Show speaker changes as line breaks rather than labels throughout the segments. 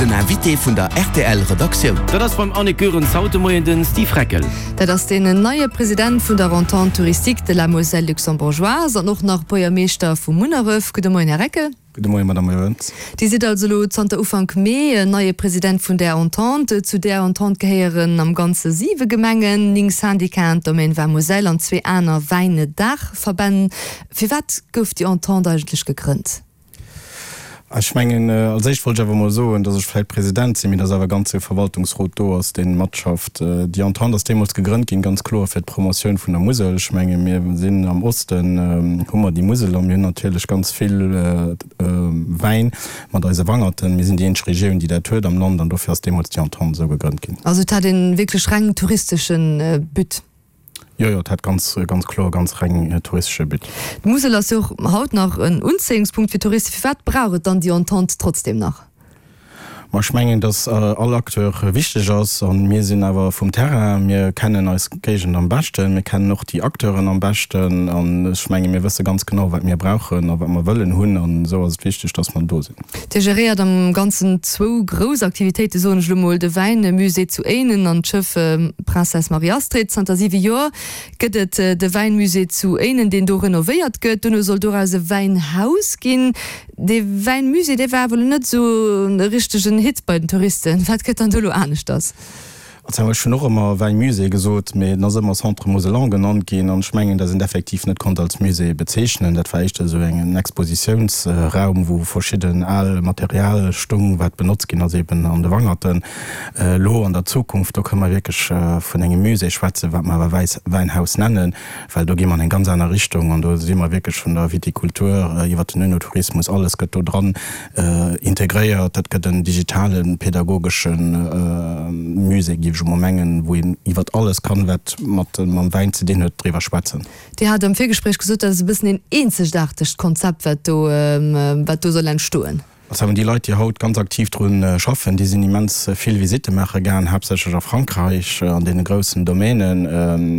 Den Invité vun der rtl Redaktioun.
Dat ass beim Annick Goerens haut de Moien den Steve Reckel.
Dat ass deen neie President vun der Entente Touristique de la Moselle Luxembourgeoise an och nach Buergermeeschter vu Munneref. Gudde Moien, Här Reckel.
Gudde Moien, Madame Goerens.
Dir sidd also elo zanter Ufank Mee neie President vun där Entente. Zu där Entente gehéieren am Ganze siwe Gemengen, 9 Syndicaten, d'Domaine Vin Moselle an zwee aner Wäinedaachverbänn. Firwat gouf déi Entente eigentlech gegrënnt?
Ech mengen, als éischt wollt ech awer emol soen, dass ech vläicht President sinn, mee dass awer e ganze Verwaltungsrot do ass, dee matschafft. Déi Entente ass deemools gegrënnt ginn, ganz kloer fir d'Promotioun vun der Musel. Ech menge mir sinn am Osten, hu mer déi Musel a mir hunn natierlech ganz vill Wäin mat eise Wangerten. Mir sinn déi eenzeg Regioun, déi dat huet am Land an dofir ass deemools déi Entente esou gegrënnt ginn.
Also et hat e wierklech reng touristesche But?
Jo, jo, et hat ganz, ganz kloer ganz reng touristesche But.
D'Musel ass jo och haut nach en Unzéiungspunkt fir Touristen. Firwat brauch et dann déi Entente trotzdem nach?
Ma ech mengen, datt all Acteur wichteg ass. A mir sinn awer vum Terrain, mir kennen eis Géigend am beschten, mir kennen och déi Acteuren am beschten. An ech menge mir wësse ganz genau, wat mir brauchen a wat mer wëllen hunn. An esou ass et wichteg, datt mer do sinn.
Dir geréiert am Ganzen zwou grouss Aktivitéiten, soen ech elo mol, de Wäinmusée zu Éinen an d'Schëff Princesse Marie-Astrid. Zanter siwe Joer gëtt et de Wäinmusée zu Éinen, deen do renovéiert gëtt. Dono soll doraus e Wäinhaus ginn. Dee Wäinmusée, dee war awer elo net esou e richtegen Hit bei den Touristen. Wat gëtt dann do elo aneschters?
Also ech hunn och ëmmer Wäimusée gesot, mee en ass ëmmer Centre Mosellan genannt ginn an ech mengen, dass een et effektiv net konnt als Musée bezeechnen. Dat war éischter esou en Expositiounsraum, wou verschidden al Material stung, wat benotzt ginn ass eben an de Wangerten. Elo an der Zukunft, do kënne mer wierklech vun engem Musée schwätzen, wat mer awer Wäinhaus nennen, well do gi mer an eng ganz aner Richtung an do si mer wierklech vun der Vitikultur iwwert den Önotourismus, alles gëtt do dran Integréiert. Dat gëtt en digitalen, pädagogesche Musée, géif ech emol mengen, wou een iwwert alles kann, wat mat mam Wäin ze dinn huet, driwwer schwätzen.
Dir hat am Virgespréich gesot, dat ass e bëssen een eenzegaartegt Konzept, wat do, wat do soll entstoen.
Also déi Leit, déi haut ganz aktiv dru schaffen, déi sinn immens vill Visitte maache gaang, haaptsächlech a Frankräich, an deene groussen Domänen.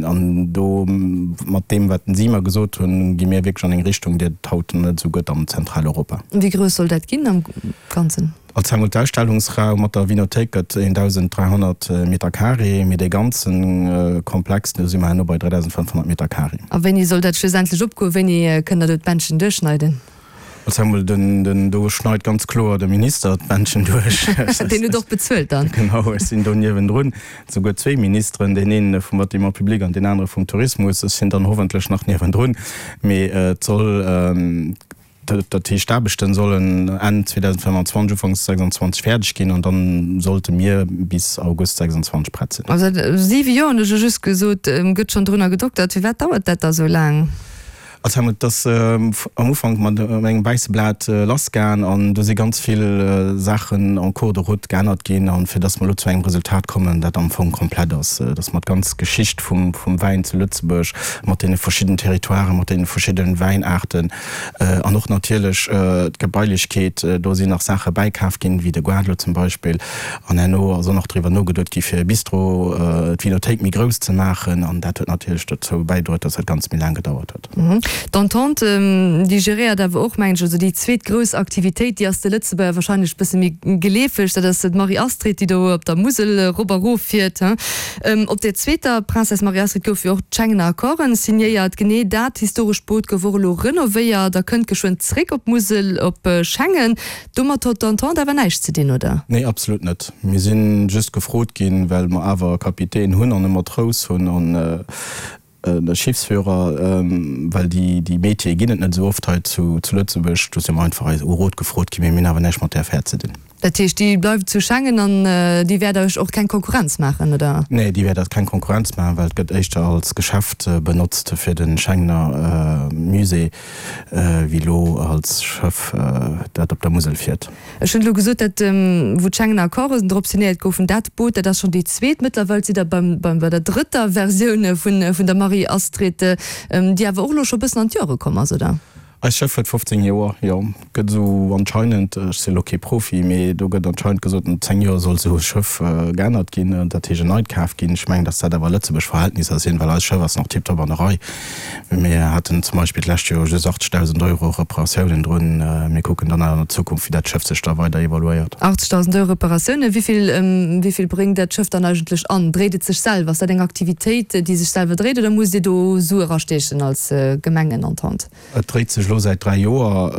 An do, mat deem, wat si mer gesot hunn, gi mir wierklech an eng Richtung, déi et haut net esou gëtt am Zentraleuropa.
Wéi grouss soll dat ginn am Ganzen?
Als emol d'Ausstellungsraum mat der Vinothéik gëtt 1.300 Meter carré, mee dee ganze Komplex, do si mer herno bei 3.500 Meter carré.
A wéini soll dat schlussendlech opgoen? Wéini kënnt der do d'Bändchen duerchschneiden?
Als emol den, do schneit ganz kloer de Minister d'Bändchen duerch.
Deen huet och bezuelt dann.
Genau, ech sinn do niewendrun. Souguer zwéi Ministeren, deen een vum Bâtiment public an deen anere vum Tourismus. Ech sinn dann hoffentlech nach niewendrun. Mee et soll, dat heescht d'Aarbechten sollen Enn 2025, Ufanks 2026 fäerdeg ginn an dann sollte mir bis August 26 prett sinn.
Also siwe Joer hunn ech jo just gesot, gëtt schonn drunner gedoktert. Firwat dauert dat da sou laang?
Also et ass am Ufank mat engem wäisse Blat lassgaang an do si ganz vill Saachen en cours de route geännert ginn an fir dass mer elo zu engem Resultat kommen, dat am Fong komplett ass, dass mer d'ganz Geschicht vum Wäin zu Lëtzebuerg mat deene verschidden Territoiren, mat deene verschidde Wäinaarten an och natierlech d'Gebailechkeet, do sinn nach Saache bäikaf ginn, wéi de Goart elo zum Beispill, An herno ass och nach driwwer nogeduet gi fir e Bistro, d'Vinothéik méi grouss ze maachen. An dat huet natierlech dozou bäidroet, datt dat Ganzt méi laang gedauert huet.
D'Entente, déi geréiert awer och, mengen ech, also déi zweet grouss Aktivitéit, déi ass de Lëtzebuerger wahrscheinlech e bësse méi geleefeg, dat ass d'Marie-Astrid, déi do op der Musel erop a rof fiert. Op där zweeter Princesse Marie-Astrid goufe jo och d'Schengener Accorden signéiert. Genee dat historescht Boot gouf och elo renovéiert a kënnt geschwënn zréck op d'Musel, op Schengen. Domat hott d'Entente awer näischt ze dinn, oder?
Nee, absolut net. Mir si just gefrot ginn, well mer awer e Kapitän hunn an e Matrous hunn an e Schiffsführer, well déi déi Métiere ginn et net esou oft hei zu Lëtzebuerg. Do si mer einfach eis u Rot gefrot ginn, mee mir hunn awer näischt mat där Affär ze dinn.
Dat heescht, déi bleift zu Schengen an déi wäert Iech och keng Konkurrenz maachen, oder?
Nee, déi wäert eis keng Konkurrenz maachen, well et gëtt éischter als Geschäft benotzt fir de Schengener Musée. Wéi elo als Schëff dat op der Musel fiert.
Ech hunn elo gesot, dat wou d'Schengener Accorden drop signéiert goufen, dat Boot, dat ass schonn déi zweet. Mëttlerweil sidd Der beim, bei der drëtter Versioun vun, vun der Marie-Astrid, déi awer och elo scho e bëssen an d'Jore komm ass, oder?
Eist Schëff huet 15 Joer, jo. Gëtt esou anscheinend, ech sinn elo kee Profi, mee do gëtt anscheinend gesot, no 10 Joer soll esou e Schëff geännert ginn, dat heescht en neit kaf ginn. Ech mengen, datt dat awer Lëtzebuerg Verhältnisser sinn, well eist Schëff ass nach tiptop an der Rei. Mir haten zum Beispill d'lescht Joer just 80.000 Euro Reparatiounen drun. Mir kucken dann awer an der Zukunft, wéi dat Schëff sech da weider evoluéiert.
80.000 Euro Reparatiounen, wéi vill, wéi vill bréngt dat Schëff dann eigentlech an? Dréit et sech selwer? Ass dat eng Aktivitéit, déi sech selwer dréit oder musst Dir do Sue erastiechen als Gemengenentente?
Et dréit sech elo säit 3 Joer.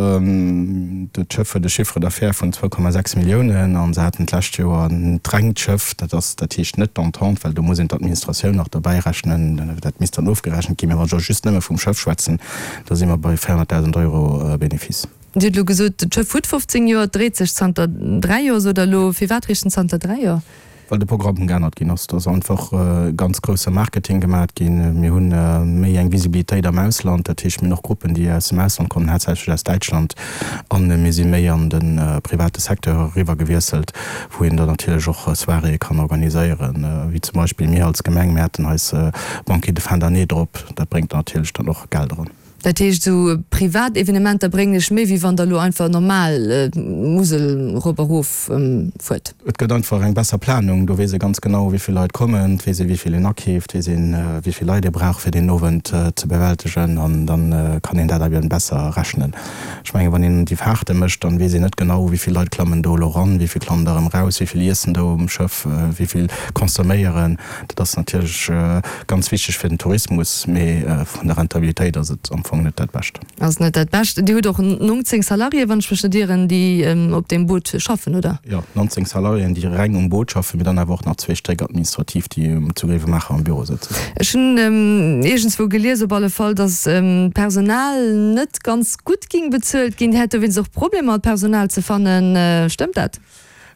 Dat Schëff huet e Chiffre d'affaires vun 2,6 Milliounen a se haten d'lescht Joer d'rengt Schëff, dat ass, dat heescht net d'Entente, well do muss een d'Administratioun nach dobäi rechnen, dat misst dann ofgerechent ginn. Mä wann ech elo just nëmme vum Schëff schwätzen, da si mer bei 400.000 Euro Benefice.
Dir hutt elo gesot, d'Schëff huet 15 Joer, et dréit sech zanter 3 Joer, sot Der elo. Firwat richten zanter 3 Joer?
Well de Programm geännert ginn ass. Et ass einfach ganz grousse Marketing gemat ginn. Mir hu méi eng Visibilitéit am Ausland, dat heescht mir hunn och Gruppen, déi aus dem Ausland kommen, haaptsächlech aus Däitschland. A mir si méi an de private Secteur eriwwer gewiesselt, wou een dann natierlech och Soiréeë kann organiséieren, wéi zum Beispill mir als Gemeng, mir haten eis Banquet de fin d'année drop. Dat bréngt natierlech dann och Geld eran.
Dat heescht, esou privat Evenementer bréngen iech méi, wéi wann der elo einfach normal d'Musel erop a rof fuert?
Et gëtt einfach eng besser Planung. Do weess ee ganz genau, wéi vill Leit kommen, et weess ee wéi vill een akeeft, weess een, wéi vill Leit ee brauch, fir deen Owend ze bewältegen an da kann een dat eben besser rechnen. Ech mengen, wann een déi Faarte mécht, dann weess een net genau, wéi vill Leit klammen do elo eran, wéi vill klammen der erëm raus, wéi vill iessen do um Schëff, wéi vill consomméieren. Dat ass natierlech ganz wichteg fir den Tourismus, mee vun der Rentabilitéit ass et am Fong net dat Bescht.
Ass net dat Bescht. Dir hutt och 19 Salariéen, wann ech mech net ieren, déi op deem Boot schaffen, oder?
Jo, 19 Salariéen, déi reng um Boot schaffen, mee dann awer och nach zwee Stéck administrativ, déi zu Gréiwemaacher am Büro sëtzen.
Ech hunn iergendswou gelies op alle Fall, datt d'Personal net ganz gutt ging bezuelt ginn. Dir hätt dowéinst och Problemer, Personal ze fannen. Stëmmt dat?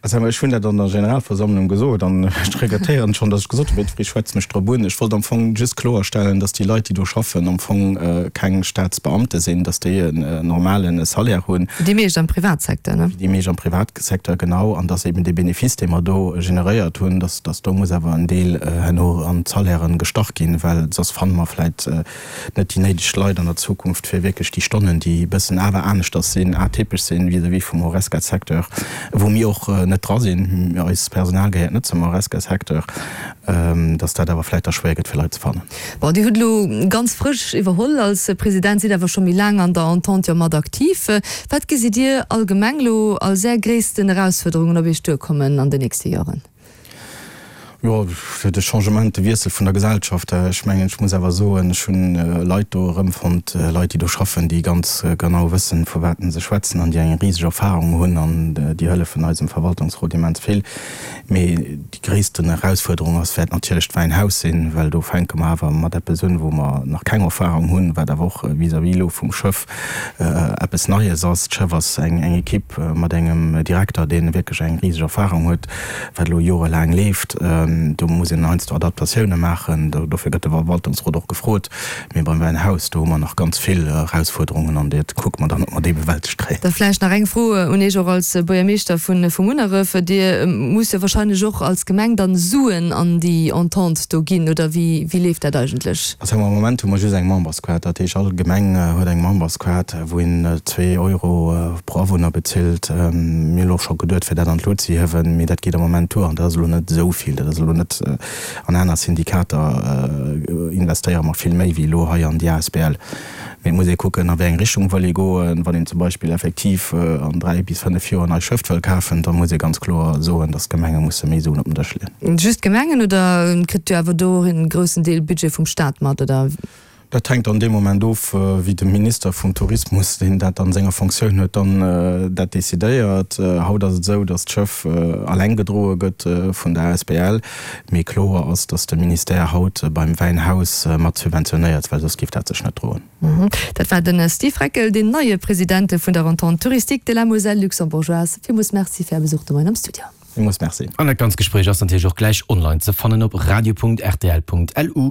Also ech hunn dat an der Generalversammlung gesot an ech regrettéieren schonn, datt ech gesot hunn, ech schwätze mech drop un. Ech wollt am Fong just kloerstellen, datt déi Leit, déi do schaffen, am Fong keng Staatsbeamte sinn, datt déi en normale Salaire hunn.
Wéi déi meescht am Privatsecteur, ne?
Wéi déi meescht am Privatsecteur, genau. An datt eben dee Benefice, dee mer do generéiert hunn, datt do muss awer en Deel herno an d'Salairen gestach ginn, well soss fanne mer vläicht net déi néideg Leit an der Zukunft, fir wierklech déi Stonnen, déi e bëssen awer aneschters sinn, atypesch sinn vis-à-vis vum Horesca-Secteur, wou mir och net dra sinn, eist Personal gehéiert net zum Horesca-Secteur, dass dat awer vläicht da schwéier gëtt, fir Leit ze fannen.
Bon, Dir hutt elo ganz frësch iwwerholl als President, sidd awer scho méi laang an der Entente jo mat aktiv. Wat gesitt Dir allgemeng elo als Är gréissten Erausfuerderungen op Iech duerkommen an den nächste Joren?
Jo, de Changement, de Wiessel vun der Gesellschaft. Ech mengen, ech muss awer soen, ech hunn Leit do erëmfonnt, Leit, déi do schaffen, déi ganz genau wëssen, vu wat se schwätzen an déi eng riseg Erfahrung hunn an déi hëllefen eisem Verwaltungsrot immens vill. Mee déi gréissten Erausfuerderung ass, wäert natierlech d'Wäinhaus sinn, well do fänke mer awer mat eppes un, wou mer nach keng Erfahrung hunn, wat awer och vis-à-vis elo vum Schëff eppes Neies ass. D'Schëff ass eng Ekipp mat engem Direkter, dee wierklech eng riseg Erfahrung huet, wat elo jorelaang leeft. Do muss een heiansdo Adaptatioune maachen. Dofir gëtt de Verwaltungsrot och gefrot. Mee beim Wäinhaus, do hu mer nach ganz vill Erausfuerderungen an dat kucke mer dann, ob mer déi bewältegt kréien.
Da vläicht nach eng Fro un Iech och als Buergermeeschter vu Munneref. Dir musst jo wahrscheinlech och als Gemeng dann Suen an déi Entente do ginn, oder wéi leeft dat eigentlech?
Also am Moment hu mer just eng Memberskaart. Dat heescht, all Gemeng huet eng Memberskaart, wou een zwee Euro pro Awunner bezilt. Mir hunn elo och scho geduet, fir dat an d'Lut ze hiewen, mee dat geet am Moment duer an dat ass elo net esou vill. Dat ass elo net, an aner Syndikater investéiere mer vill méi wéi elo hei an déi asbl. Mee et muss ee kucken, a wéi eng Richtung wëll ee goen. Wann een zum Beispill effektiv an 3 bis 5 Joer en neit Schëff wëll kafen, da muss ee ganz kloer soen, datt d'Gemenge musse méi Suen op den Dësch leeën.
Just d'Gemengen oder kritt Dir awer do och een groussen Deel Budget vum Staat mat, oder?
Dat hänkt an deem Moment of, wéi de Minister vum Tourismus, deen dat an senger Fonctioun huet, dann dat decidéiert. Haut ass et esou, datt d'Schëff alleng gedroe gëtt vun der asbl. Mee kloer ass, datt de Ministère haut beim Wäinhaus mat subventionéiert, well soss géif dat sech net droen.
Dat war de Steve Reckel, deen neie President vun der Entente Touristique de la Moselle Luxembourgeoise. Villmools Merci fir Är Besuch de Moien am Studio.
Villmools Merci.
An dat ganz Gespréich ass natierlech och gläich online ze fannen op radio.rtl.lu.